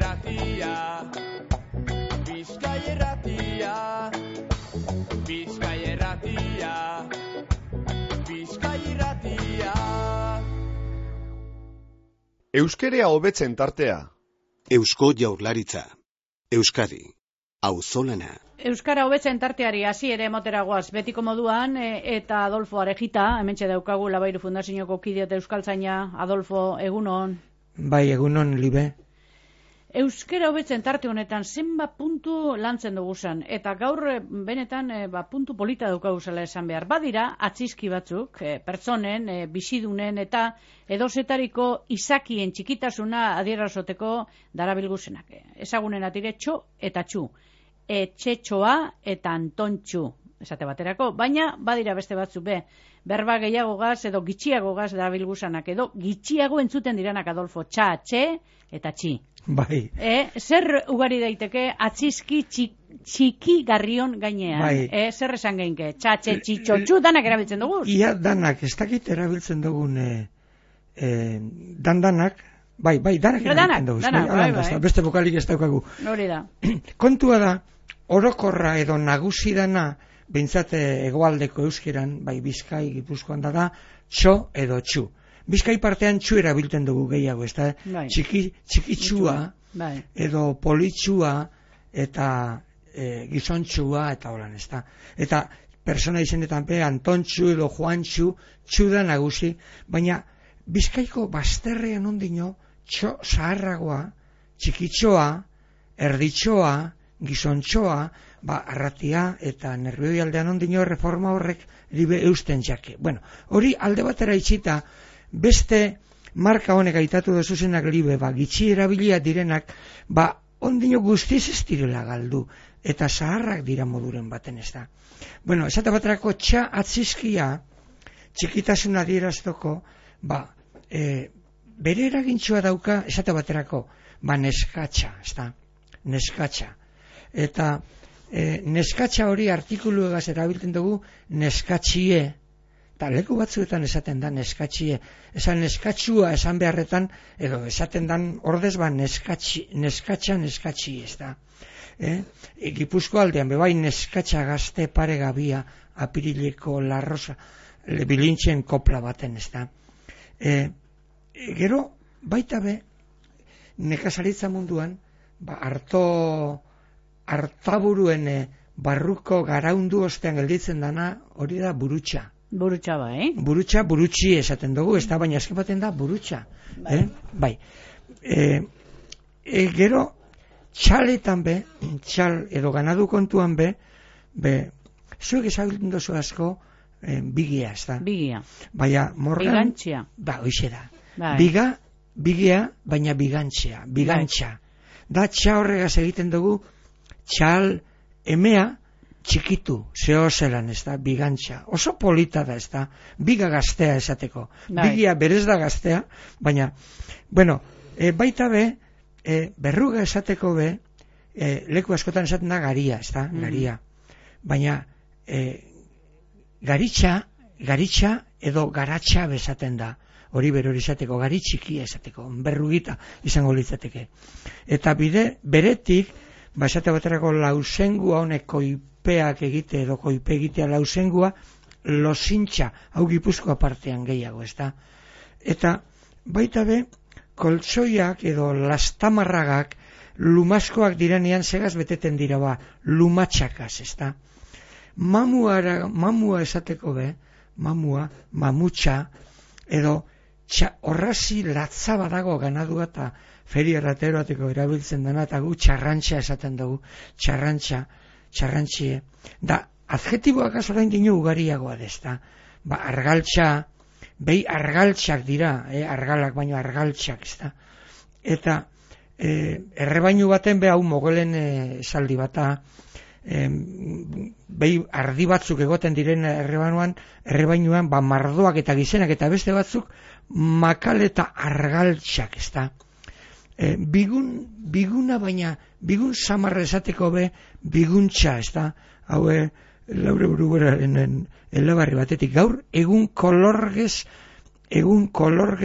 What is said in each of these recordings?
irratia, Bizkai irratia, Bizkai irratia, Bizkai irratia. Euskerea hobetzen tartea. Eusko Jaurlaritza. Euskadi. Auzolana. Euskara hobetzen tarteari hasi ere moteragoaz betiko moduan, eta Adolfo Arejita, hementxe daukagu Labairu Fundazioko kide eta euskaltzaina. Adolfo, egunon. Bai, egunon, Libe. Euskara hobetzen tarte honetan zenbat puntu lantzen dugu zen, eta gaur benetan puntu polita daukagu zela esan behar. Badira, atzizki batzuk, pertsonen, bizidunen eta edozetariko izakien txikitasuna adierazoteko darabilguzenak. Ezagunen atire txo eta txu, etxetxoa eta antontxu, esate baterako, baina badira beste batzuk berba gehiagogaz edo gitxiagogaz darabilguzanak, edo gitxiago entzuten diranak, Adolfo, txa, txe eta txi. Bai. Zer ugari daiteke atzizki txiki garrion gainean? Bai. Zer esan geinke? Txatxe, txitxotxu, danak erabiltzen dugu? Ia danak, ez dakit erabiltzen dugun danak, bai, danak erabiltzen dugu. Bai. Beste bokalik ez daukagu. Hori da. Kontua da, orokorra edo nagusi dana, behintzat hegoaldeko euskeran, bai Bizkai, Gipuzkoan da, txo edo txu. Bizkai partean txu erabiltzen dugu gehiago, ez da? Bai. Txikitxua, bai. edo politxua, eta gizontxua, eta holan, ez da? Eta persona izenetan Antontxu edo Juantxu, txu da nagusi, baina Bizkaiko bazterrean ondino, txo zaharragoa, txikitxoa, erditxoa, gizontxoa, arratia eta nerbioi aldean ondino reforma horrek libe eusten jake. Bueno, hori alde batera itxita, beste marka honek aitatu dozuzenak libe, gitxi erabilia direnak, ondino guztiz ez direla galdu, eta zaharrak dira moduren baten ez da. Bueno, esate baterako txa atzizkia, txikitasuna adieraztoko, bere eragintxoa dauka, esate baterako, neskatxa, ez da, neskatxa. Eta neskatxa hori artikulu egaz erabiltzen dugu neskatxie, eta leku batzuetan esaten da neskatxie, esan neskatxua esan beharretan, edo esaten dan ordez neskatxa neskatxie, ez da. Gipuzko aldean, bebai neskatxa gazte pare gabia, apirileko larrosa, bilintxen kopla baten, ez da. Gero, baita nekazaritza munduan, hartaburuen barruko garaundu ostean gelditzen dana, hori da burutxa. Burutxa bai. Burutxa, burutxi esaten dugu, ez da, baina azken baten da burutxa. Bai. Gero, txaletan txal edo ganadu kontuan zuek ezabiltzen dozu asko bigia, ez da. Bigia. Baina, morgan... Bigantxia. Hoxe da. Bigia, baina bigantxa. Da, txa horregaz egiten dugu, txal emea txikitu, zehozelan, ez da, bigantxa. Oso polita da, ez da, biga gaztea esateko. Bigia berez da gaztea, baina, bueno, baita berruga esateko leku askotan esaten da garia, ez da, garia. Baina, garitxa edo garatxa bezaten da. Hori berori esateko, gari txiki esateko, berrugita izango litzateke. Eta beretik, esate baterako lausengua honek koipeak egite edo koipe egitea lausengua, losintxa, hau Gipuzkoa partean gehiago, ez da. Eta baita koltsoiak edo lastamarragak lumaskoak direnean segaz beteten dira lumatxakaz, ez da. Mamua esateko mamutxa, edo horrazi latza badago ganadua eta feria rateroateko erabiltzen dena, eta gu txarrantxa esaten dugu, txarrantxie. Da, adjetiboak azorain dino ugariagoa dezta. Argaltxa, argaltxak dira, argalak baino argaltxak, ez da. Eta errebainu baten hau mogolen esaldi bata, ardi batzuk egoten diren errebainuan, mardoak eta gizenak eta beste batzuk, makal eta argaltxak, ez da. Biguna baina, bigun samarra esateko biguntxa, ez da. Hau, Laure Buruberaren elebarri batetik, gaur egun kolorgez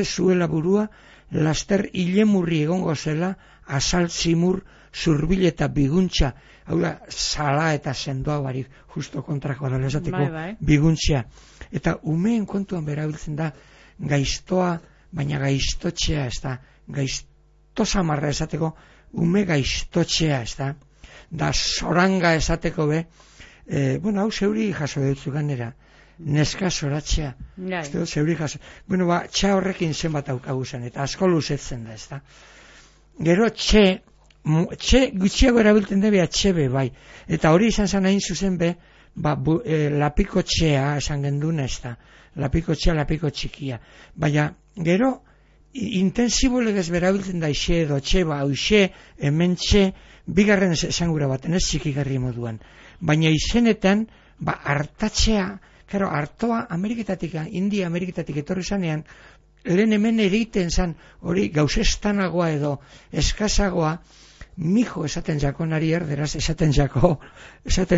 zuela burua, laster ilemurri egongo zela, azaltzimur, zurbil eta biguntza, hau da, zala eta sendoa barik, justo kontrakoa dela esateko, biguntza. Eta umeen kontuan berabiltzen da, gaiztoa, baina gaiztotxea, ez da, gaiztosamarra esateko, ume gaiztotxea, ez da, da soranga esateko be, bueno, hau zeuri jaso dutzu ganera, neska soratzea, zeuri jaso, bueno, txa horrekin zenbat aukagu zen, eta asko luzetzen da, ez da. Gero txe gutxiago erabiltzen debe atxebe, bai, eta hori izan zen hain zuzen be, lapiko txea esan genduna, ez da, lapiko txea, lapiko txikia, baina gero intensibo legez berabiltzen da ixe edo txe, hauxe, hemen txe, bigarren esangura baten, ez txikigarri moduan, baina izenetan, hartatzea, karo, hartoa Ameriketatik, India Ameriketatik etorri zanean, lehen hemen eriten zan, hori gauzestanagoa edo eskazagoa, mijo esaten jako nari erderaz, esaten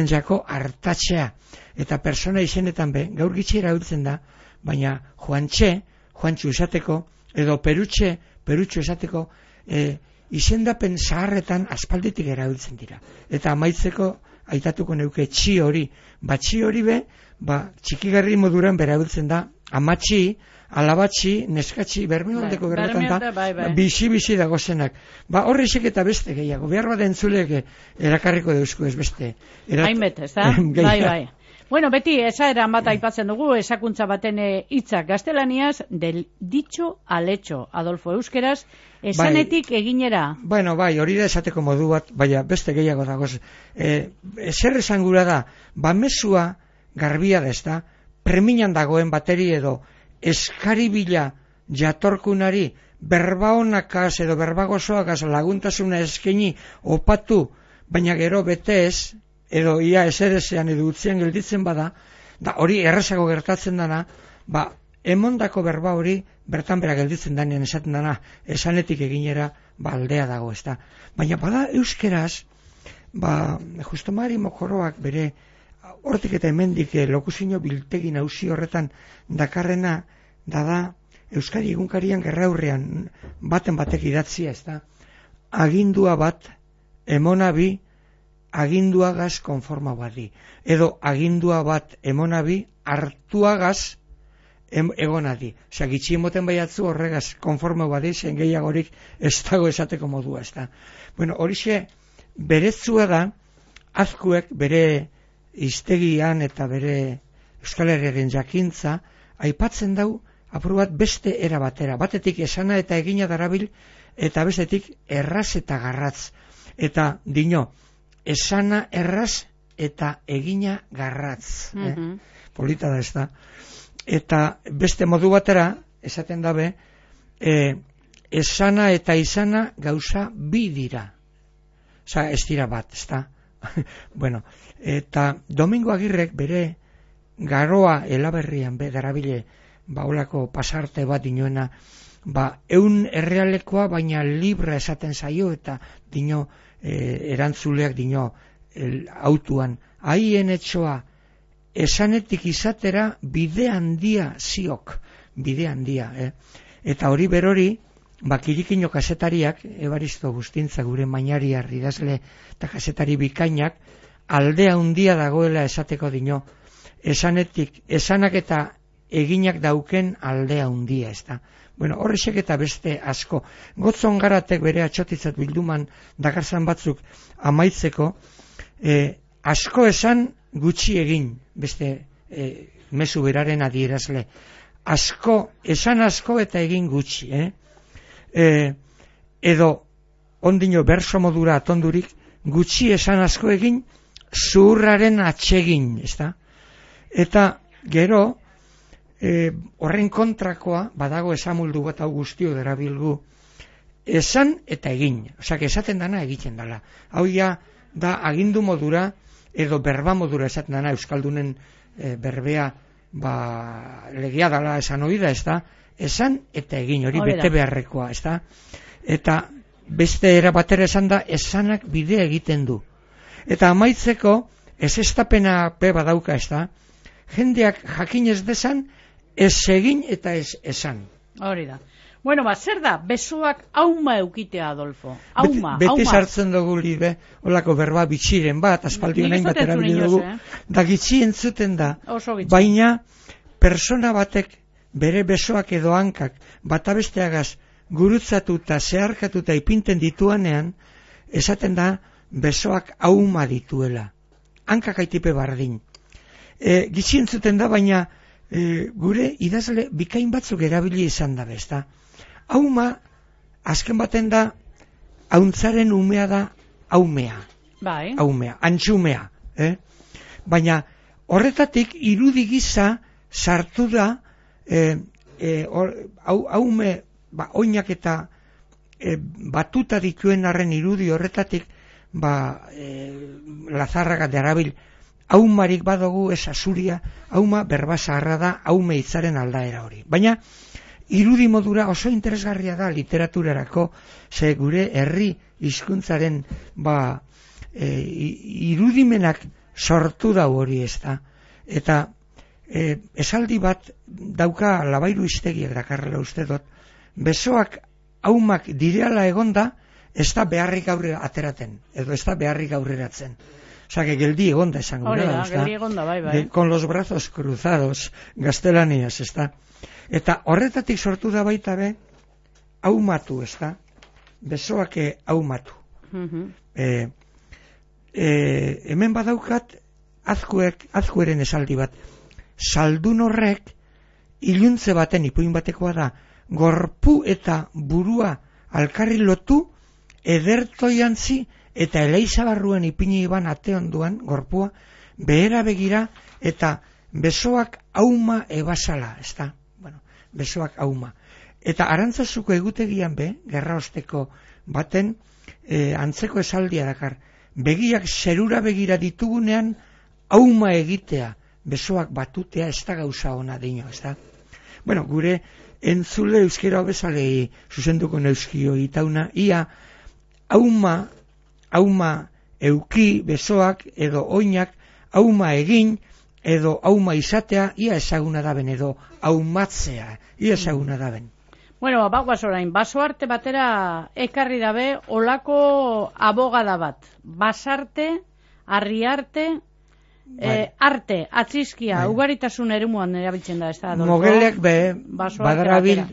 jako hartatzea, eta persona izenetan be, gaur gitxi erabiltzen da, baina Juantxu esateko, edo Perutxu esateko, izendapen zaharretan aspalditik erabiltzen dira. Eta amaitzeko aitatuko neuke txi hori be, txikigarri moduran berabiltzen da, amatxi, alabatxi, neskatxi, bermeoldeko berbetan bizi dagozenak. Horrexek eta beste gehiago, behar bat entzulek erakarriko deuzko ez beste. Hainbet, ez da? Bai. Bueno, beti, esaeran bat aipatzen dugu, esakuntza baten hitzak gaztelaniaz, del dicho al hecho, Adolfo, euskeraz, esanetik eginera. Bueno, hori da esateko modu bat, beste gehiago dagoz. Zer esangura da, mezua garbia da, ez da, preminan dagoen bateri edo eskaribila jatorkunari berba honakaz edo berba gozoakaz laguntasuna eskeni opatu, baina gero bete ez, edo ia eserezean edo utzian gelditzen bada, da hori errazago gertatzen dana, emondako berba hori bertan bera gelditzen danean esaten dana, esanetik eginera aldea dago, ez da. Baina bada euskeraz, Justo Mari Mokoroak bere hortik eta hemendik lokuzio biltegi nauzi horretan dakarrena da Euskadi egunkarian gerraurrean baten batek idatzia, ez da. Agindua bat, emonabi, aginduagaz konforma badi. Edo agindua bat emonabi, hartuagaz egonadi. Osea, gitxi emoten baiatzu horregaz konforma badi, zen gehiagorik ez dago esateko modua, ez da. Bueno, horixe berezua da, azkuek bere hiztegian eta bere Euskal Herriaren jakintza, aipatzen dau, apur bat beste era batera. Batetik esana eta egina darabil, eta bestetik erraz eta garratz. Eta dino, esana erraz eta egina garratz. Polita da ez da. Eta beste modu batera, esaten dabe, esana eta izana gauza bi dira. Osa, ez dira bat, ez da. Bueno, eta Domingo Agirrek bere garoa elaberrian darabile baulako pasarte bat dinoena, eun errealekoa baina libra esaten zaio eta dino erantzuleak dino autuan. Haien etxoa esanetik izatera bide handia ziok, bide handia. Eta hori berori, Kirikino kasetariak, Ebaristo Gustintza gure mainariar idazle eta kasetari bikainak, aldea handia dagoela esateko dino, esanak eta eginak dauken aldea handia, ez da. Bueno, horrexek eta beste asko. Gotzon Garatek bere atxotitzat bilduman dakarzan batzuk amaitzeko, asko esan gutxi egin, beste mezu beraren adierazle. Esan asko eta egin gutxi, edo ondino berso modura atondurik, gutxi esan asko egin, zuhurraren atsegin, ez da? Eta gero, horren kontrakoa, badago esamuldu bat hau guztio derabilgu, esan eta egin, osea, esaten dana egiten dala. Hau ja, da agindu modura, edo berba modura esaten dana, Euskaldunen berbea, legea dala esan oida, ez da? Esan eta egin, hori bete beharrekoa, ez da? Eta beste era batera esan da, esanak bidea egiten du. Eta amaitzeko, ez estapena badauka, ez da? Jendeak jakin ez desan, ez egin eta ez esan. Hori da. Bueno, zer da, besoak auma eukitea, Adolfo? Auma, Beti sartzen dugu libe, holako berba bitxiren bat, aspaldi honain bat erabili dugu, da gitxi entzuten da, baina persona batek bere besoak edo hankak bata besteagaz gurutzatuta, zeharkatuta ipinten dituanean, esaten da besoak auma dituela. Hankak aitipe bardin. Gitxi entzuten da, baina gure idazle bikain batzuk erabili izan da bezta. Auma, azken baten da, hauntzaren umea da aumea. Bai. Aumea, antxumea. Baina horretatik irudi gisa sartu da aume oinak eta batuta dituen arren irudi horretatik Lazarraga derabil aumarik badugu ez azuria, auma berba zaharra da aume hitzaren aldaera hori. Baina irudi modura oso interesgarria da literaturarako, ze gure herri hizkuntzaren irudimenak sortu da hori ez da. Eta esaldi bat dauka Labairu Iztegiak dakarrela uste dut, besoak aumak direala egonda, ez da beharrik aurrera ateraten, edo ez da beharrik aurreratzen. Osa, que geldi egonda esango da, geldi egonda, bai. Con los brazos cruzados, gaztelaniaz, ez da. Eta horretatik sortu da baita be, aumatu, ez da. Besoak aumatu. Hemen badaukat, azkueren esaldi bat. Saldun horrek, iluntze baten, ipuin batekoa da, gorpu eta burua alkarri lotu, ederto jantzi, eta eleizabarruen ipini iban ate onduan, gorpua, behera begira, eta besoak auma ebasala, ez da? Bueno, besoak auma. Eta Arantzazuko egutegian gerra osteko baten, antzeko esaldia dakar, begiak zerura begira ditugunean, auma egitea, besoak batutea, ez da gauza ona dino, ez da? Bueno, gure entzule euskera hobezalei zuzenduko neuzkio itauna, ia auma euki besoak edo oinak, auma egin edo auma izatea, ia ezaguna daben, edo aumatzea, ia ezaguna daben. Bueno, bagoaz orain, basoarte batera ekarri dabe olako abogada bat. Basarte, arriarte, arte, atzizkia, ugaritasun eremuan erabiltzen da, ez da? Mogeleak badarabil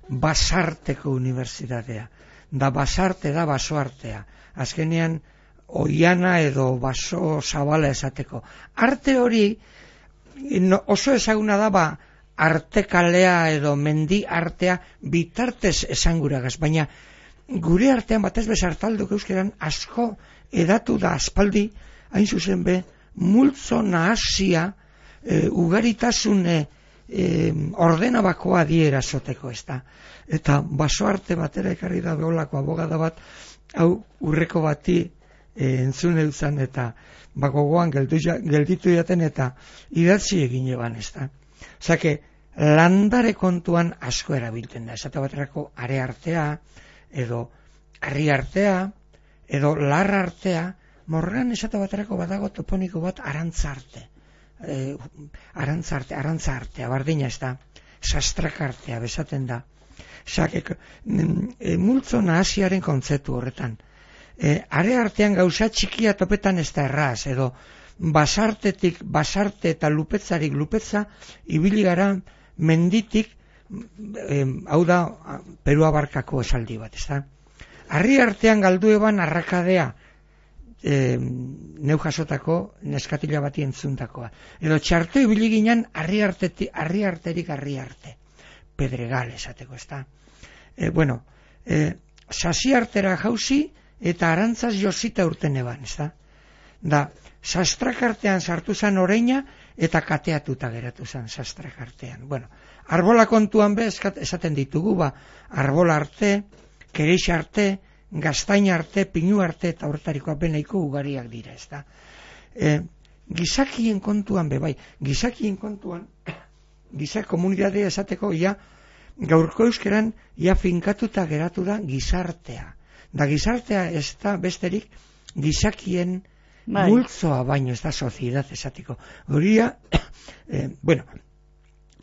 basarteko unibertsitatea. Da basarte da basoartea. Azkenean, oiana edo baso zabala esateko. Arte hori oso ezaguna da artekalea edo mendi artea bitartez esanguragaz, baina gure artean batez bezartalduk euskeran asko edatu da aspaldi, hain zuzen multzo nahasia ugaritasun ordenabakoa diera zoteko, ez da. Eta basoarte batera ekarri da beholako abogada bat, hau urreko bati entzun euzan eta gogoan gelditu jaten eta idatzi egin eban, ez da. Osake, landare kontuan asko erabiltzen da. Esate baterako are artea, edo harri artea, edo larra artea, morran esate baterako badago toponiko bat arantza arte. Arantza artea, bardina ez da. Sastrak artea, besaten da. Osake, multzo nahasiaren kontzeptu horretan. Are artean gauza txikia topetan ez da erraz, edo basartetik basarte eta lupetzarik lupetza, ibili gara menditik, hau da Perua barkako esaldi bat, ez da. Harri artean galdu eban arrakadea, neu jasotako neskatila bati entzuntakoa. Edo txarto ibili ginen harri arterik harri arte. Pedregal esateko, ez da. Bueno, sasi artera jauzi eta arantzaz josita urten eban, ez da. Da, sastrak artean sartu zan oreina eta kateatuta geratu zan sastrak artean. Bueno, arbola kontuan esaten ditugu, arbola arte, kereix arte, gaztain arte, pinu arte eta horretariko apenaiko ugariak dira, ez da. Gizakien kontuan gizakien kontuan, gizak komunitatea esateko, gaurko euskeran, finkatuta geratu da gizartea. Da gizartea ez da besterik gizakien multzoa baino, ez da soziedad esatiko. Horia, bueno,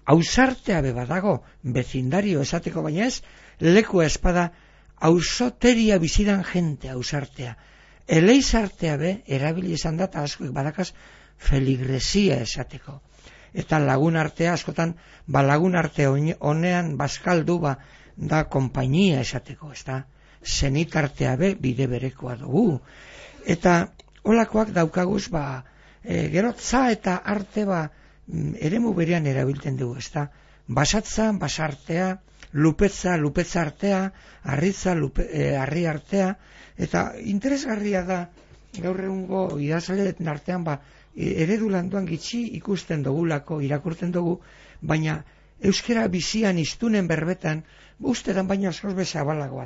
ausartea be badago, bezindario esateko, baina ez, lekua espada, ausoteria bizidan jente ausartea. Eleizartea be, erabili izan da, eta askoek badakaz, feligresia esateko. Eta lagun artea, askotan, lagun arte honean, bazkaldu, da konpainia esateko, ez da, zenitartea be, bide berekoa dugu. Eta, holakoak daukaguz, gero, za eta arte, eremu berean erabiltzen dugu, ez da, basatza, basartea, lupetza artea, arritza, arri artea, eta interesgarria da, gaur egungo idazleen artean, eredu landuan gitxi ikusten dugulako, irakurtzen dugu, baina euskera bizian iztunen berbetan, ustetan baina askoz bezabalagoa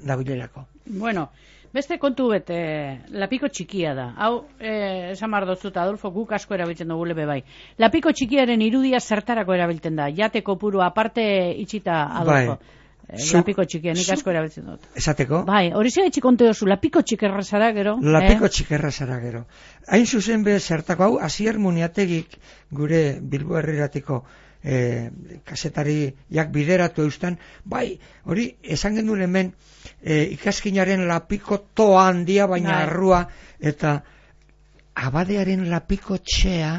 dabilerako. Bueno, beste kontu bete, lapiko txikia da. Hau, esan mardozuta, Adolfo, guk asko erabiltzen dugu lebe bai. Lapiko txikiaren irudia zertarako erabiltzen da? Jateko puru aparte itxita, Adolfo. Lapiko txikia, nik asko erabiltzen dut. Esateko? Bai, hori zera itxikonte dozu, lapiko txikerra zara gero. Lapiko txikerra zara gero. Hain zuzen be zertako, hau, Asier Muniategik gure Bilbo Herriratiko kasetari jak bideratu eustan, bai, hori esan genuen hemen ikaskinaren lapiko toa handia baina arrua, eta abadearen lapiko txea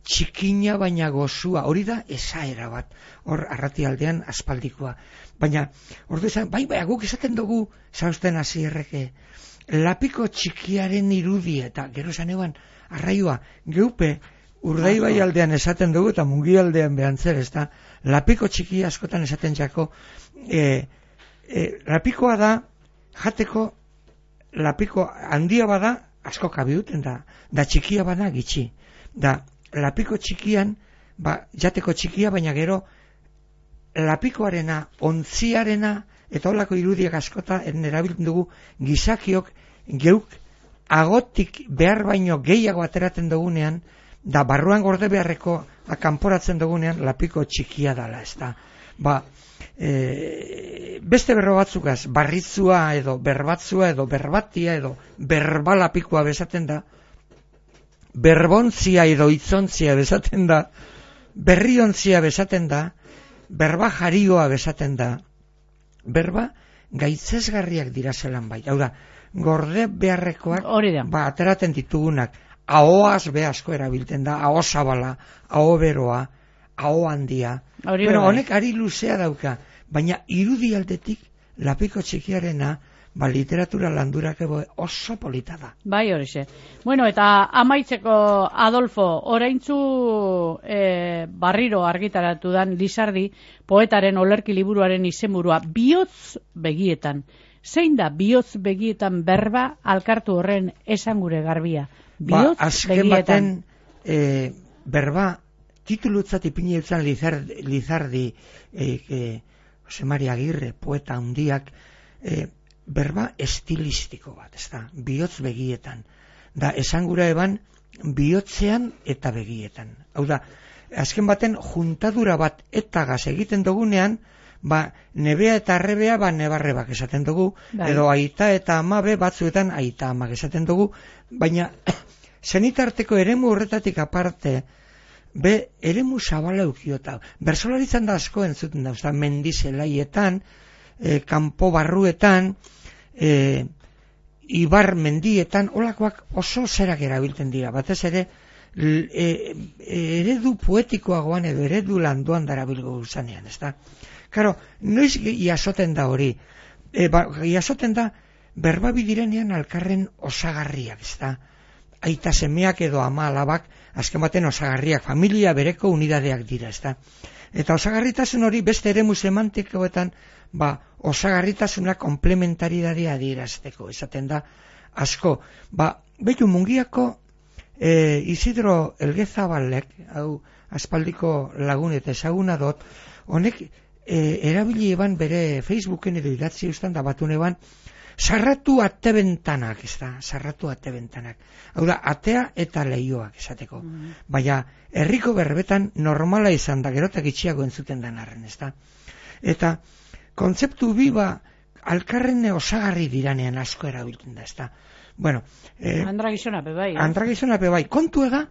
txikina baina gozua, hori da esaera bat, hor arratialdean aspaldikoa, baina ordu esan, bai, guk esaten dugu zausten Asierreke, lapiko txikiaren irudia, eta gero esan eban arraioa, geupe Urdaibai aldean esaten dugu eta Mungi aldean behantzer, ez da, lapiko txiki askotan esaten jako, lapikoa da, jateko, lapiko handia bada, asko kabiuten da txikia bada gitxi. Da, lapiko txikian, jateko txikia, baina gero, lapikoarena, ontziarena, eta holako irudiak askota, erabiltzen dugu, gizakiok, geuk, agotik behar baino gehiago ateratzen dugunean, da barruan gorde beharreko kanporatzen dugunean lapiko txikia dala, ez da. Beste berro batzukaz, barritzua edo berbatzua edo berbatia edo berbalapikoa bezaten da, berbontzia edo itzontzia bezaten da, berriontzia bezaten da, berba jarioa bezaten da, berba gaitzesgarriak dira zelan bai. Hau da, gorde beharrekoak ateraten ditugunak, ahoaz be asko erabiltzen da, aho zabala, aho beroa, aho handia. Pero honek ari luzea dauka, baina irudialdetik lapiko txikiarena, literatura landurak oso polita da. Bai, horixe. Bueno, eta amaitzeko, Adolfo, oraintzu barriro argitaratu dan Lizardi, poetaren olerki liburuaren izenburua, bihotz begietan. Zein da bihotz begietan berba alkartu horren esan gure garbia? Azken baten berba titulutzat ipiniltzen Lizardi Jose Maria Agirre, poeta handiak, berba estilistiko bat, ez da, bihotz begietan. Da, esan gura eban bihotzean eta begietan. Hau da, azken baten juntadura bat etagaz egiten dugunean, nebea eta arrebea nebarrebak esaten dugu, edo aita eta amabe batzuetan aita amak esaten dugu, baina zenitarteko eremu horretatik aparte, eremu zabala eukiota. Bersolaritzan da asko entzuten da, mendizelaietan, kanpo barruetan, ibar mendietan, holakoak oso zerak erabiltzen dira, batez ere, eredu poetikoagoan edo eredu landuan darabilgo usanean, ez da? Karo, noiz jasoten da hori, jasoten da berbabidirenean alkarren osagarriak, ez da? Aita semeak edo ama alabak, azken baten osagarriak, familia bereko unidadeak dira, ez da? Eta osagarritasun hori beste eremu semantikoetan, osagarritasuna komplementaridadea adierazteko, esaten da asko. Betu Mungiako Isidro Elgezabalek, hau aspaldiko lagun eta ezaguna dut, honek erabili eban bere Facebooken edo idatzi eustan da batun eban, sarratu ate bentanak, ez da, sarratu ate bentanak. Hau da, atea eta leioak esateko. Baina, herriko berbetan normala izan da, gerotak itxiago entzuten den arren, ez da. Eta, kontzeptu biba, alkarrene osagarri diranean asko erabiltzen da, ez da. Bueno, Andragizonape bai. Andragizonape bai. Kontu ega,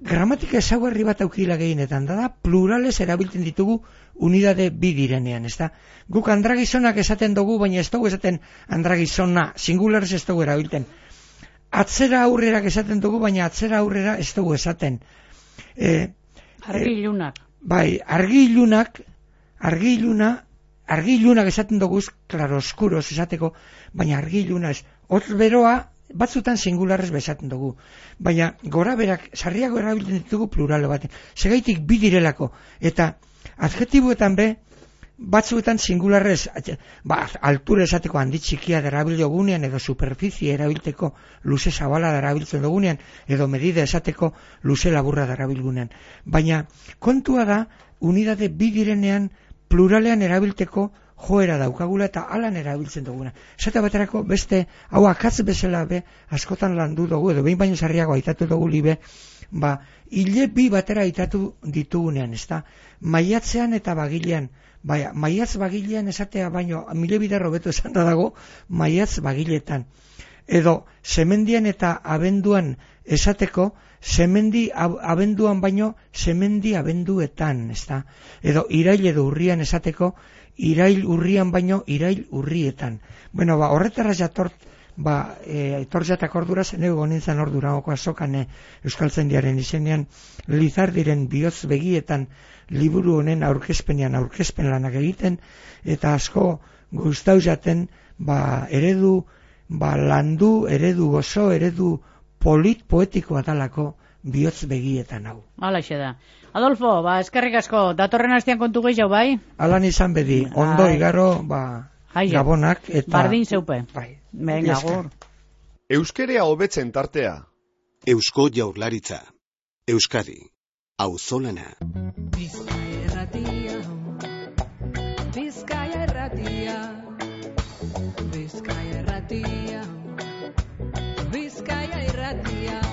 gramatika ezaugarri bat aukila gehienetan, da plurales erabiltzen ditugu unidade bi direnean, ezta? Guk andragizonak esaten dugu, baina ez dugu esaten andragizona, singularez ez dugu erabiltzen. Atzera aurrerak esaten dugu, baina atzera aurrera ez dugu esaten. Argilunak. Bai, argilunak esaten dugu, claroscuros esateko, baina argiluna ez. Hotz beroa, batzutan singularrez besaten dugu. Baina gora berak, sarriago erabiltzen ditugu pluralo baten. Segaitik bi direlako. Eta adjetibuetan be, batzuetan singularrez, altura esateko handi txikia darabilio gunean, edo superficie erabilteko luze zabala darabiltzen dugunean, edo medida esateko luze laburra darabilgunean. Baina kontua da, unidade bi direnean pluralean erabilteko joera daukagula eta alan erabiltzen duguna. Esate baterako beste, hau akatz bezala be, askotan landu dugu, edo behin baino sarriago aitatu dugu libe, hile bi batera aitatu ditugunean, ezta? Maiatzean eta bagilean, maiatz bagilean esatea baino, mile bider hobeto esan da dago, maiatz bagiletan. Edo, semendian eta abenduan esateko, semendi abenduan baino, semendi abenduetan, ezta? Edo, irail edo urrian esateko, irail urrian baino, irail urrietan. Bueno, horretara jatort, etortzatak ordura zenego nintzen orduragoko azokan Euskaltzaindiaren izenean Lizardiren bihotz begietan liburu honen aurkezpen lanak egiten, eta asko gustau jaten eredu landu, eredu gozo, eredu poetikoa dalako bihotz begietan hau. Halaxe da. Adolfo, eskerrik asko, datorren astean kontu gehiago, bai? Alan izan bedi, ondo igaro, gabonak, eta... Bardin zeupe. Venga, agur. Euskerea hobetzen tartea. Eusko Jaurlaritza. Euskadi. Auzolana. Bizkaia erratia. Bizkaia erratia. Bizkaia erratia. Bizkaia erratia.